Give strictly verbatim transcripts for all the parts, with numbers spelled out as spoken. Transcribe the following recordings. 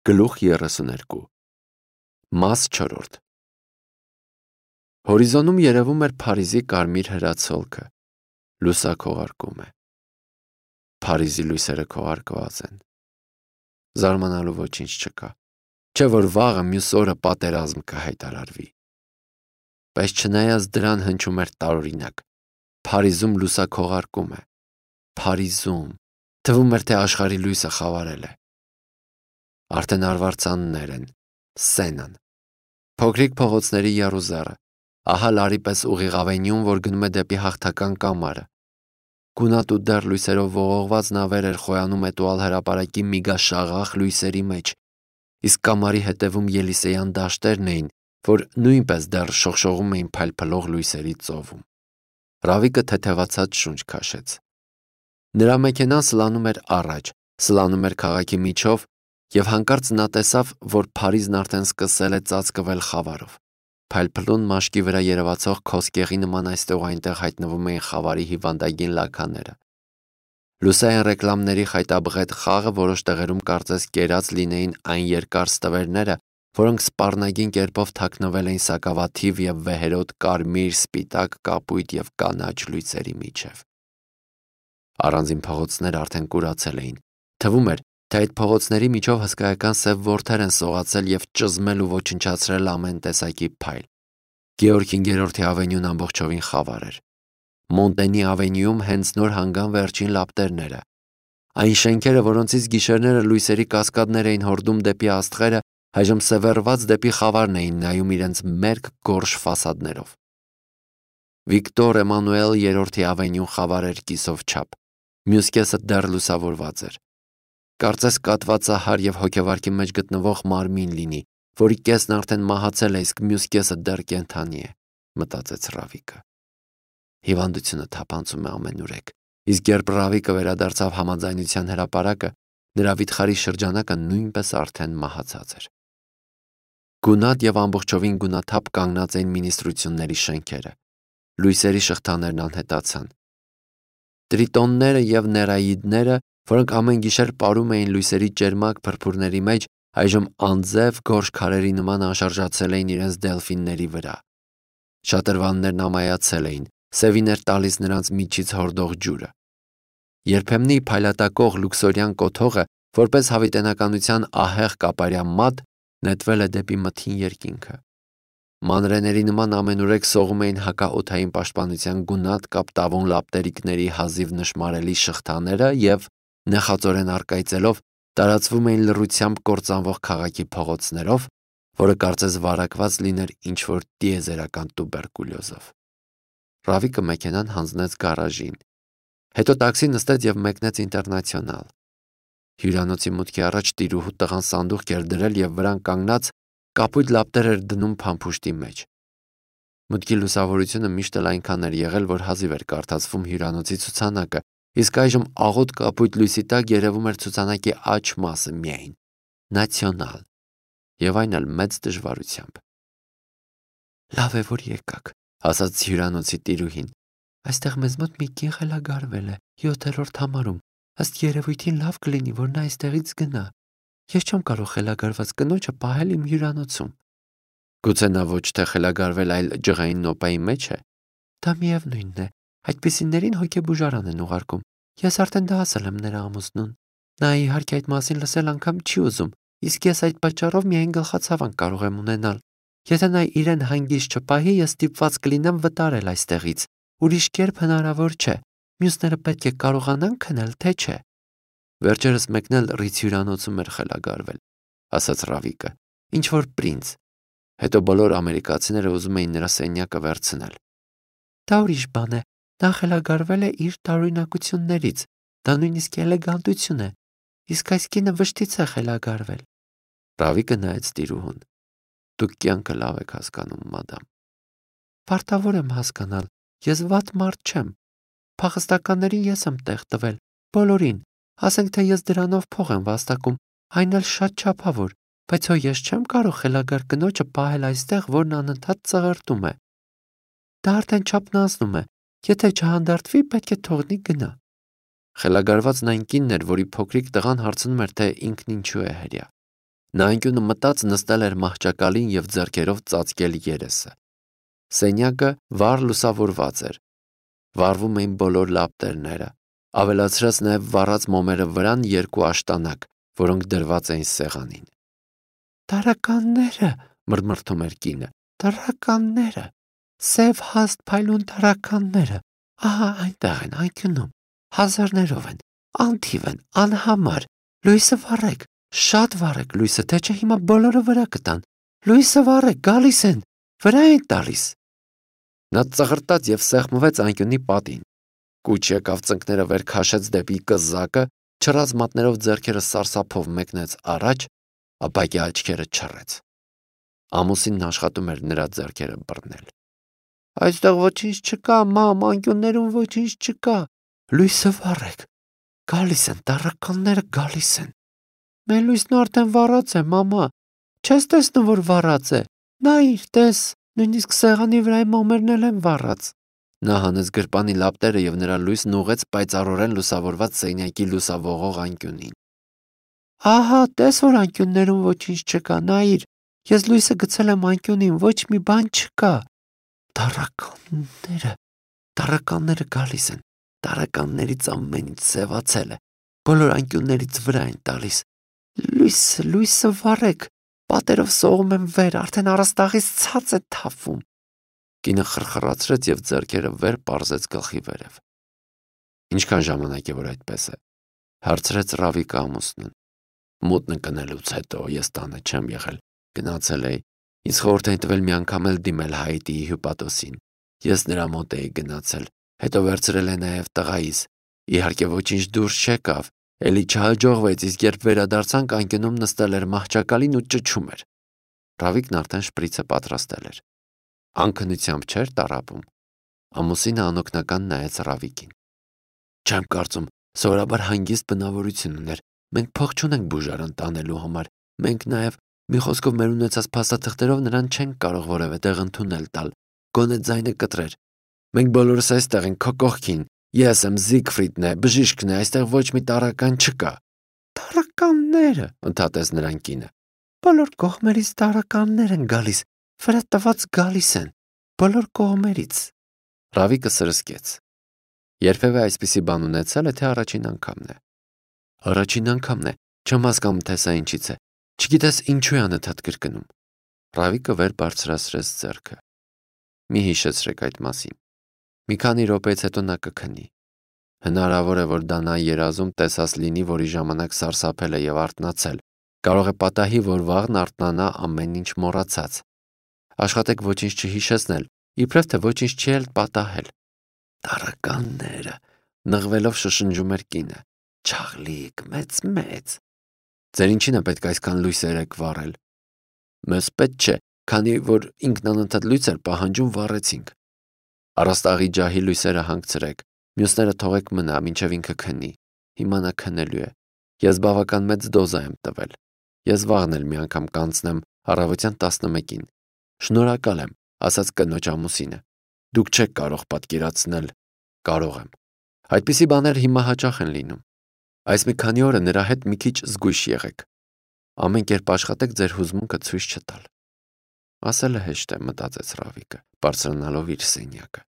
Գլուխ երեսուներկու Մաս չորրորդ Հորիզոնում երևում էր Փարիզի կարմիր հրացոլքը, լուսաքողարկում է։ Փարիզի լույսերը քողարկված են։ Զարմանալու ոչինչ չկա, չէ որ վաղը մյուս օրը պատերազմ կհայտարարվի։ Բայց չնայած դրան հնչում էր տարօրինակ, Փարիզում լուսաքողարկում է։ Փարիզում, թվում էր, թե աշխարհի լույսը խավարել է։ Արդեն արվարձաններ են, Սենան, փոքրիկ փողոցների եռուզեռը, ահա լարի պես ուղիղ ավենյուն, որ գնում է դեպի հաղթական կամարը։ Գունատ ու դեռ լույսերով ողողված նավեր էր խոյանում էտուալ հրապարակի միգաշաղախ լույսերի մեջ, իսկ կամարի հետևում Ելիսեյան դաշտերն էին, որ նույնպես դեռ շողշողում էին փայլփլող լույսերի ծովում։ Ռավիկը թեթևացած շունչ քաշեց։ Նրա մեքենան սլանում էր առաջ, սլանում էր քաղաքի միջով, եւ հանկարծ նա տեսավ, որ Փարիզն արդեն սկսել է ծածկվել խավարով։ Փայլփլուն մաշկի վրա երևացող քոսկեղի նման այստեղ ու այնտեղ հայտնվում էին խավարի հիվանդագին լաքաները։ Լուսային ռեկլամների խայտաբղետ խաղը որոշ տեղերում կարծես կերած լինեին այն երկար ստվերները, որոնք սպառնագին կերպով թաքնվել էին սակավաթիվ եւ վեհերոտ կարմիր, սպիտակ, կապույտ եւ կանաչ լույսերի միջև։ Առանձին փողոցները արդեն կուրացել էին։ Թվում էր, թե այդ փողոցների միջով հսկայական սև որդեր են սողացել եւ ճզմել ու ոչնչացրել ամեն տեսակի փայլ։ Գեորգ հինգերորդի ավենյուն ամբողջովին խավար էր։ Մոնտենի ավենյուում հենց նոր հանգան վերջին լապտերները։ Այն շենքերը, որոնցից գիշերները լույսերի կասկադներ էին հորդում դեպի աստղերը, այժմ սևեռված դեպի խավարն էին նայում իրենց մերկ գորշ ֆասադներով։ Վիկտոր Էմանուել երրորդի ավենյուն խավար էր կիսով չափ։ Մյուս կեսը դեռ լուսավորված էր։ Կարծես կատվածահար եւ հոգեվարքի մեջ գտնվող մարմին լինի, որի կեսն արդեն մահացել է, իսկ մյուս կեսը դեռ կենդանի է, մտածեց Ռավիկը։ Հիվանդությունը թափանցում է ամենուրեք, իսկ երբ Ռավիկը վերադարձավ համաձայնության հրապարակը, նրա վիթխարի շրջանակը նույնպես արդեն մահացած էր։ Գունատ եւ ամբողջովին գունաթափ կանգնած էին մինիստրությունների շենքերը։ Լույսերի շղթաներն անհետացան։ Տրիտոնները եւ ներաիդները, որոնք ամեն գիշեր ապարում էին լույսերի ճերմակ փրփուրների մեջ, այժմ անձև գորշ քարերի նման անշարժացել էին իրենց դելֆինների վրա։ Շատրվաններն ամայացել էին, սևին էր տալիս նրանց միջից հորդող ջուրը։ Երբեմնի փայլատակող լուքսորյան կոթողը, որպես հավիտենականության ահեղ կապարյա մատ, նետվել է դեպի մթին երկինքը։ Մանրեների նման ամենուրեք սողում էին հակաօդային պաշտպանության գունատ կապտավուն լապտերիկների հազիվ նշմարելի շղթաները եւ նեխածորեն առկայծելով տարածվում էին լռությամբ կործանվող քաղաքի փողոցներով, որը կարծես վարակված լիներ ինչ-որ տիեզերական տուբերկուլյոզով։ Ռավիկը մեքենան հանձնեց գարաժին, հետո տաքսի նստեց եւ մեկնեց Ինտերնացիոնալ։ Հյուրանոցի մուտքի առաջ տիրուհու տղան սանդուղք էր դրել եւ վրան կանգնած կապույտ լապտեր էր դնում փամփուշտի մեջ։ Մուտքի լուսավորությունը միշտ էլ այնքան էր եղել, որ հազիվ էր կարդացվում հյուրանոցի ցուցանակը, իսկ այժմ աղոտ կապույտ լույսի տակ երևում էր ցուցանակի աջ մասը միայն՝ Նացիոնալ, եւ այն էլ մեծ դժվարությամբ։ Լավ է, որ եկաք, ասաց հյուրանոցի տիրուհին։ Այստեղ մեզ մոտ մի կին խելագարվել է յոթերորդ համարում։ Ըստ երևույթին լավ կլինի, որ նա այստեղից գնա։ Ես չեմ կարող խելագարված կնոջը պահել իմ հյուրանոցում։ Գուցե նա ոչ թե խելագարվել, այլ ջղային նոպայի մեջ է։ Դա միևնույնն է, այդպիսիներին հոգեբուժարան են ուղարկում։ Ես արդեն դա ասել եմ նրա ամուսնուն։ Նա իհարկե այդ մասին լսել անգամ չի ուզում, իսկ ես այդ պատճառով միայն գլխացավանք կարող եմ ունենալ։ Եթե նա իրեն հանգիստ չպահի, ես ստիպված կլինեմ վտարել այստեղից։ Ուրիշ կերպ հնարավոր չէ։ Մյուսները պետք է կարողանան քնել, թե չէ։ Վերջերս մեկն էլ ռից հյուրանոցում էր խելագարվել, ասաց Ռավիկը, ինչ որ պրինց։ Հետո բոլոր ամերիկացիները ուզում էին նրա սենյակը վերցնել։ Դա ուրիշ բան է։ Նա խելագարվել է իր տարօրինակություններից։ Դա նույնիսկ էլեգանտություն է։ Իսկ այս կինը վշտից է խելագարվել։ Ռավիկը նայեց տիրուհուն։ Դուք կյանքը լավ եք հասկանում, մադամ։ Պարտավոր եմ հասկանալ։ Ես վատ մարդ չեմ։ Փախստականներին ես եմ տեղ տվել, բոլորին։ Ասենք թե ես դրանով փող եմ վաստակում, այն էլ շատ չափավոր, բայց հո ես չեմ կարող խելագար կնոջը պահել այստեղ, որն անընդհատ ծղրտում է։ Դա արդեն չափն անցնում է։ Եթե չհանդարտվի, պետք է թողնի գնա։ Խելագարվածն այն կինն էր, որի փոքրիկ տղան հարցնում էր, թե ինքն ինչու է հրեա։ Նա անկյունը մտած նստել էր մահճակալին և ձեռքերով ծածկել երեսը։ Սենյակը վառ լուսավորված էր։ Վառվում էին բոլոր լապտերները, ավելացրած նաև վառած մոմերը վրան երկու աշտանակ, որոնք դրված էին սեղանին։ «Տարականները», մռմռթում էր կինը, «տարականները, սև հաստ փայլուն տարականները, ահա այնտեղ են անկյունում, հազարներով են, անթիվ են, անհամար, լույսը վառեք, շատ վառեք լույսը, թե չէ հիմա բոլորը վրա կտան, լույսը վառեք, գալիս են, վրա են տալիս»։ Նա ծղրտաց և սեղմվեց անկյունի պատին։ Կուչ եկավ, ծնկները վեր քաշեց դեպի կզակը, չռած մատներով ձեռքերը սարսափով մեկնեց առաջ, ապակի աչքերը չռեց։ Ամուսինն աշխատում էր նրա ձեռքերը բռնել։ «Այստեղ ոչինչ չկա, մամ, անկյուններում ոչինչ չկա, լույսը վառեք, գալիս են, տառականները գալիս են»։ «Մեր լույսն արդեն վառած է, մամա, չես տեսնում, որ վառած է, նայիր, տես, նույնիսկ սեղանի վրայի մոմերն էլ են վառած»։ Նա հանեց գրպանի լապտերը և նրա լույսն ուղղեց պայծառորեն լուսավորված սենյակի լուսավողող անկյունին։ «Ահա, տես, որ անկյուններում ոչինչ չկա, նայիր, ես լույսը գցել եմ անկյունին, ոչ մի բան չկա։ Տառականները, տառականները գալիս են, տառականներից ամեն ինչ սևացել է, բոլոր անկյուններից վրա են տալիս։ Լույսը, լույսը վառեք, պատերով սողում եմ վեր, արդեն առաստաղից ցած է թափվում»։ Կինը խրխրացրեց և ձեռքերը վեր պարզեց գլխի վերև։ «Ինչքան ժամանակ է, որ այդպես է», հարցրեց Ռավիկը ամուսնուն։ «Մութն ընկնելուց հետո ես տանը չեմ եղել, գնացել էի, ինձ խորհուրդ էին տվել մի անգամ էլ դիմել Հայիտիի հյուպատոսին, ես նրա մոտ էի գնացել, հետո վերցրել է նաև տղայիս, իհարկե ոչինչ դուրս չեկավ, էլի չհաջողվեց, իսկ երբ վերադարձանք, անկյունում նստել էր մահճակալին ու ճչում էր»։ Ռավիկն արդեն շպրիցը պատրաստել էր։ Անքնությամբ չէր տառապում։ Ամուսինը անօգնական նայեց Ռավիկին։ «Չեմ կարծում, սովորաբար հանգիստ բնավորություն ուներ, մենք փող չունենք բուժարան տանելու համար, մենք նաև, մի խոսքով, մեր ունեցած փաստաթղթերով նրան չենք կարող որևէ տեղ ընդունել տալ, գոնե ձայնը կտրեր։ Մենք բոլորս այստեղ ենք, քո կողքին, ես եմ, Զիգֆրիդն է, բժիշկն է, այստեղ ոչ մի տառական չկա»։ «Տառականները», ընդհատեց նրան կինը, «բոլոր կողմերից տառականներ են գալիս, վրա տված գալիս են, բոլոր կողմերից»։ Ռավիկը սրսկեց։ Երբևէ այսպիսի բան ունեցել է, թե առաջին անգամն է։ «Առաջին անգամն է, չեմ հասկանում, թե սա ինչից է, չգիտես ինչու է անընդհատ կրկնում»։ Ռավիկը վեր բարձրացրեց ձեռքը։ «Մի հիշեցրեք այդ մասին։ Մի քանի րոպեից հետո նա կքնի։ Հնարավոր է, որ դա նա երազում տեսած լինի, որի ժամանակ սարսափել է և արթնացել, կարող է պատահի, որ վաղն արթնանա ամեն ինչ մոռացած։ Աշխատեք ոչինչ չհիշեցնել, իբրև թե ոչինչ չի էլ պատահել»։ «Տառականները», նղվելով շշնջում էր կինը, «չաղլիկ, մեծ-մեծ»։ «Ձեր ինչին է պետք այսքան լույսեր եք վառել»։ «Մեզ պետք չէ, քանի որ ինքն անընդհատ լույս էր պահանջում, վառեցինք»։ «Առաստաղի ջահի լույսերը հանգցրեք, մյուսները թողեք մնա, մինչև ինքը քնի, հիմա նա քնելու է, ես բավական մեծ դոզա եմ տվել, ես վաղն էլ մի անգամ կանցնեմ առավոտյան տասնմեկին, շնորհակալ եմ», ասաց կնոջ ամուսինը, «դուք չեք կարող պատկերացնել, կարող եմ։ Այդպիսի բաներ հիմա հաճախ են լինում։ Այս մի քանի օրը նրա հետ մի քիչ զգույշ եղեք, ամեն կերպ աշխատեք ձեր հուզմունքը ցույց չտալ»։ Ասելը հեշտ է, մտածեց Ռավիկը, բարձրանալով իր սենյակը։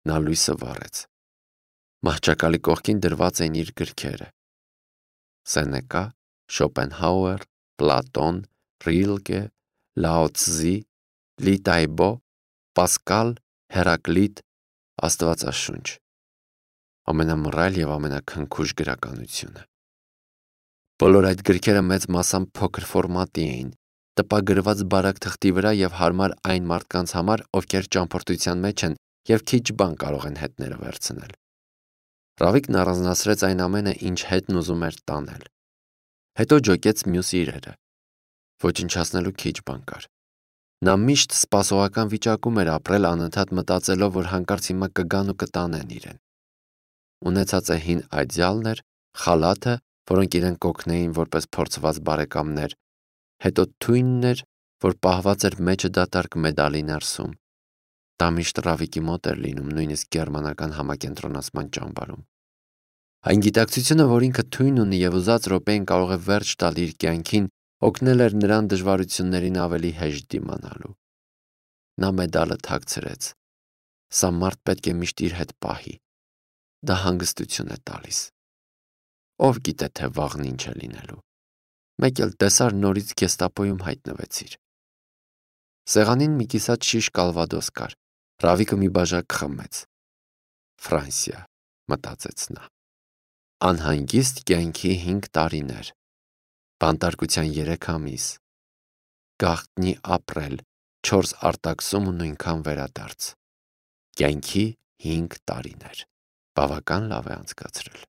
Նա լույսը վառեց։ Մահճակալի կողքին դրված էին իր գրքերը։ Սենեկա, Շոպենհաուեր, Պլատոն, Ռիլկե, Լաո Ցզի, Լի Տայբո, Պասկալ, Հերակլիտ, Աստվածաշունչ։ Ամենամռայլ և ամենաքնքուշ գրականությունը։ Բոլոր այդ գրքերը մեծ մասամբ փոքր ֆորմատի էին, տպագրված բարակ թղթի վրա և հարմար այն մարդկանց համար, ովքեր ճամփորդության մեջ են և քիչ բան կարող են հետները վերցնել։ Ռավիկն առանձնացրեց այն ամենը, ինչ հետն ուզում էր տանել։ Հետո ջոկեց մյուս իրերը։ Ոչնչացնելու քիչ բան կար։ Նա միշտ սպասողական վիճակում էր ապրել, անընդհատ մտածելով, որ հանկարծ հիմա կգան ու կտանեն իրեն։ Ունեցածը հին այդյալն էր, խալաթը, որոնք իրեն կօգնեին որպես փորձված բարեկամներ, հետո թույնն էր, որ պահված էր մեջը դատարկ մեդալի ներսում։ Դա միշտ Ռավիկի մոտ էր լինում, նույնիսկ գերմանական համակենտրոնացման ճամբարում։ Այն գիտակցությունը, որ ինքը թույն ունի և ուզած րոպեին կարող է վերջ տալ իր կյանքին, օգնել էր նրան դժվարություններին ավելի հեշտ դիմանալու։ Նա մեդալը թաքցրեց։ Սա մարդ պետք է միշտ իր հետ պահի։ Դա հանգստություն է տալիս։ Ով գիտե, թե վաղն ինչ է լինելու։ Մեկ էլ տեսար նորից գեստապոյում հայտնվեցիր։ Սեղանին մի կիսատ շիշ կալվադոս կար։ Ռավիկը մի բաժակ խմեց։ Ֆրանսիա, մտածեց նա։ Անհանգիստ կյանքի հինգ տարիներ։ Բանտարկության երեք ամիս։ Գաղտնի ապրել, չորս արտաքսում ու նույնքան վերադարձ։ Կյանքի հինգ տարիներ։ Բավական լավ է անցկացրել։